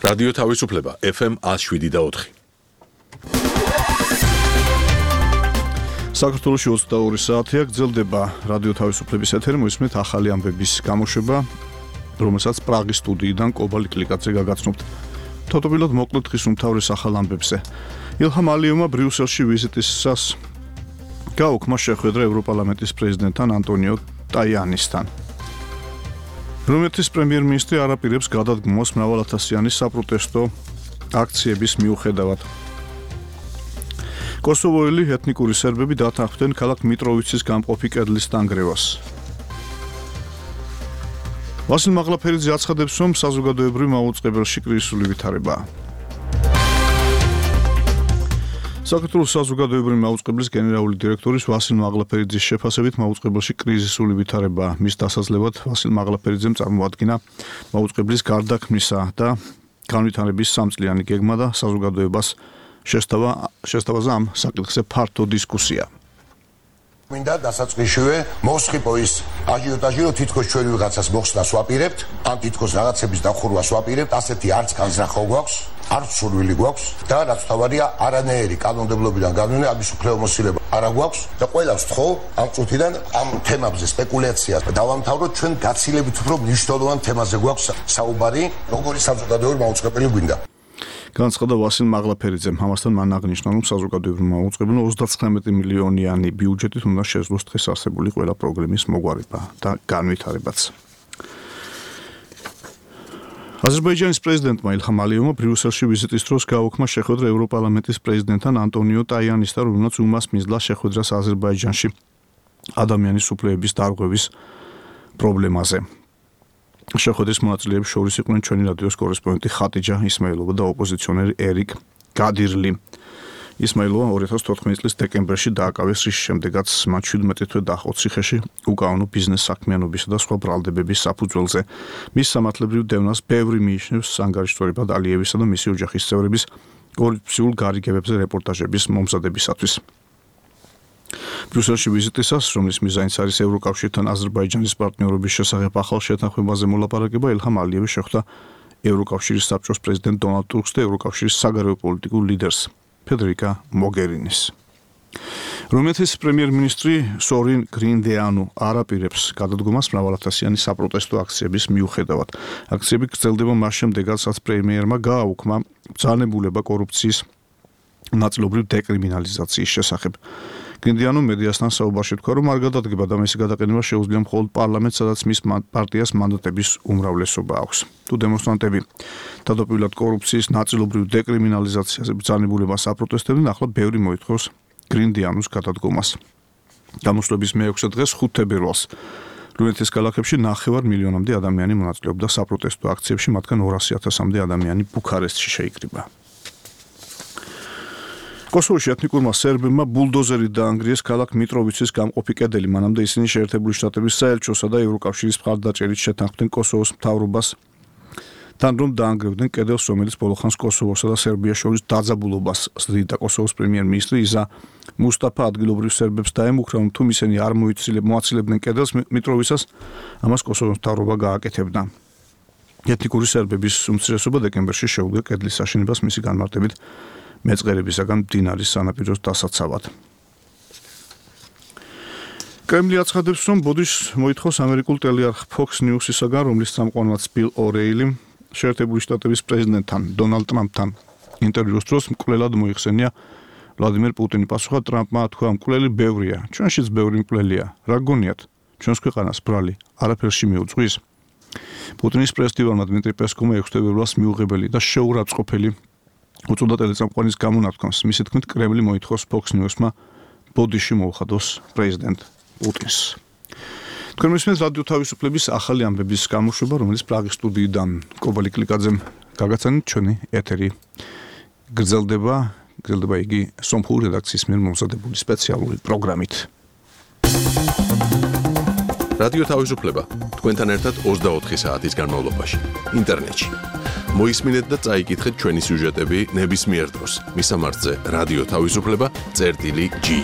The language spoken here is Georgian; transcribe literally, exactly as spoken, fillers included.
რადიო თავისუფლება ეფ ემ ათს შვიდი და ოთხი. საქართველოში ოცდაორი საათია გრძელდება რადიო თავისუფლების ეთერი, მოისმენთ ახალი ამბების გამოშვება, რომელსაც პრაღის სტუდიიდან კობალი კლიკაძე გაგაცნობთ. თოთობილად მოკლედ დღის უმთავრეს ახალ ამბებზე. ილჰამ ალიევმა ბრიუსელში ვიზიტისას გაუქმა შეხვედრა ევროპარლამენტის პრეზიდენტთან ანტონიო ტაიანისთან. რუმინეთის პრემიერ-მინისტრი არ აპირებს გადადგმოს მრავალათასიანი საპროტესტო აქციების მიუხედავად. კოსოვოელი ეთნიკური სერბები დათანხმდნენ ქალაქ მიტროვიცის გამყოფი კედლის დანგრევას. ვასილ მაღლაფერიძე აცხადებს, რომ საზოგადოებრივ მაუწყებელში კრიზისული ვითარებაა. საქართველოს საზოგადოებრივი მაუწყებლის გენერალური დირექტორის ვასილ მაღლაფერიძის შეფასებით მაუწყებელში კრიზისული ვითარებაა. მის დასაძლევად ვასილ მაღლაფერიძემ წარმოადგინა მაუწყებლის გარდაქმნისა და განვითარების სამწლიანი გეგმა და საზოგადოებას შესთავაზა შესთავაზა ამ საკითხზე ფართო დისკუსია. მინდა დასაწყისშივე მოსხიპო ის აჟიოტაჟი, რომ თითქოს ჩვენ ვიღაცას მოხსნას ვაპირებთ, ან თითქოს რაღაცების დახურვას ვაპირებთ, ასეთი არც განზრახო გვაქვს, არც სურვილი გვაქვს და რაც თავარია არანაირი კანონმდებლობიდან განვინე ამის უფლებამოსილება არა გვაქვს და ყველას ვთხოვ ამ წუთიდან ამ თემებზე სპეკულაციას დავამთავროთ, ჩვენ გაცილებით უფრო მნიშვნელოვან თემაზე გვაქვს საუბარი, როგორი საზოგადოებრივი მაუწყებელი გვინდა. განცხადა ვასილ მაღლაფერიძემ. ამასთან მან აღნიშნა, რომ საზოგადოებრივ მაუწყებელმა ოცდაცხრამეტი მილიონიანი ბიუჯეტით უნდა შეძლოს დღეს არსებული ყველა პროგრამის მოგვარება და განვითარებაც. აზერბაიჯანის პრეზიდენტმა ილჰამ ალიევმა ბრიუსელში ვიზიტის დროს გაუქმა შეხვედრა ევროპარლამენტის პრეზიდენტთან ანტონიო ტაიანისთან, რომელმაც უმას მისდლა შეხვედრას აზერბაიჯანში ადამიანის უფლებების დარღვევის პრობლემაზე. შეხვედრის მონაწილეებს შორის იყვნენ ჩვენი რადიოს კორესპონდენტი ხატიჯა ისმაილოვა და ოპოზიციონერი ერიკ გადირლი. ისმაილოვა ორი ათას თოთხმეტი წლის დეკემბერში დააკავეს, რის შემდეგაც მათ შვიდმეტი თვე დაჰყოთ ციხეში უკანონო ბიზნეს საქმიანობისა და სხვა ბრალდებების საფუძველზე. მის სამართლებრივ დევნას ბევრი მიიჩნევს სანგარიშტვებად ალიევისა და მისი ოჯახის წევრების კორუფციულ გარიგებებზე რეპორტაჟების მომზადებისათვის. ბრიუსელში ვიზიტისას, რომლის მიზანიც არის ევროკავშირთან აზერბაიჯანის პარტნიორობის შესახებ ახალ შეთანხმებაზე მოლაპარაკება, ილჰამ ალიევი შეხვდა ევროკავშირის საბჭოს პრეზიდენტ დონალდ ტუსკს და ევროკავშირის საგარეო პოლიტიკურ ლიდერს ფედერიკა მოგერინის. რუმინეთის პრემიერ-მინისტრი სორინ გრინდეანუ არ აპირებს გადადგომას მრავალათასიანი საპროტესტო აქციების მიუხედავად. აქციები გრძელდება მას შემდეგ, რაც პრემიერმა გააუქმა ბრძანებულება კორუფციის ნაწილობრივ დეკრიმინალიზაციის შესახებ. გრინდეანუ მედიასთან საუბარში თქვა, რომ არ გადადგება და მისი გადაყენება შეუძლია მხოლოდ პარლამენტს, სადაც მის პარტიას მანდატების უმრავლესობა აქვს. თუ დემონსტრანტები თავდაპირველად კორუფციის ნაწილობრივ დეკრიმინალიზაციაზე ბრძანებულებას აპროტესტებდნენ, ახლა ბევრი მოითხოვს გრინდეანუს გადადგომას. გამოსვლების მეექვსე დღეს ხუთ თებერვალს რუმინეთის ქალაქებში ნახევარ მილიონამდე ადამიანი მონაწილეობდა საპროტესტო აქციებში, მათგან ორასი ათასამდე ადამიანი ბუქარესტში შეიკრიბა. კოსოვოში ეთნიკურმა სერბებმა ბულდოზერით დაანგრიეს ქალაქ მიტროვიცის გამყოფი კედელი, მანამდე ისინი შეერთებული შტატების საელჩოსა და ევროკავშირის მხარდაჭერით შეთანხმდნენ კოსოვოს მთავრობას თან, რომ დაანგრევდნენ კედელს, რომელიც ბოლოხანს კოსოვოსა და სერბიას შორის დაძაბულობას ზრდიდა. კოსოვოს პრემიერ-მინისტრი იზა მუსტაფა ადგილობრივ სერბებს დაემუქრა, რომ თუ ისინი არ მოაცილებდნენ კედელს მიტროვიცას, ამას კოსოვოს მთავრობა გააკეთებდა. ეთნიკური სერბების უმცირესობა დეკემბერში შეუდგა კედლის აშენებას მისი განმარტებით მეწყერებისაგან მდინარის სანაპიროს დასაცავად. კრემლი აცხადებს, რომ ბოდიშს მოითხოვს ამერიკულ ტელეარხ Fox News-ისაგან, რომლის წამყვანად ბილ ორეილი შეერთებული შტატების პრეზიდენტთან დონალდ ტრამპთან ინტერვიუს დროს მკვლელად მოიხსენია ვლადიმერ პუტინი. პასუხად ტრამპმა თქვა, მკვლელი ბევრია, ჩვენშიც ბევრი მკვლელია, რა გონიათ, ჩვენს ქვეყანას ბრალი არაფერში მიუძღვის. პუტინის პრესდივარმა დმიტრი პესკოვმა ექვსი თებერვალს მიუღებელი და შეურაცხყოფელი უწოდა ტელეწამყვანის გამონათქვამს. მისი თქმით, კრემლი მოითხოვს Fox News-მა ბოდიში მოუხადოს პრეზიდენტ პუტინს. თქვენ მისმენთ რადიო თავისუფლების ახალი ამბების გამოშვება, რომელიც პრაღის სტუდიიდან კობალი კლიკაძემ გაგაცანით. ჩვენი ეთერი გრძელდება, გრძელდება იგი სომხური რედაქციის მიერ მომზადებული სპეციალური პროგრამით. რადიო თავისუფლება თქვენთან ერთად ოცდაოთხი საათის განმავლობაში ინტერნეტში. მოისმინეთ და წაიკითხეთ ჩვენი სიუჟეტები ნებისმიერ დროს. მისამართზე რადიო თავისუფლება წერტილი ჯი.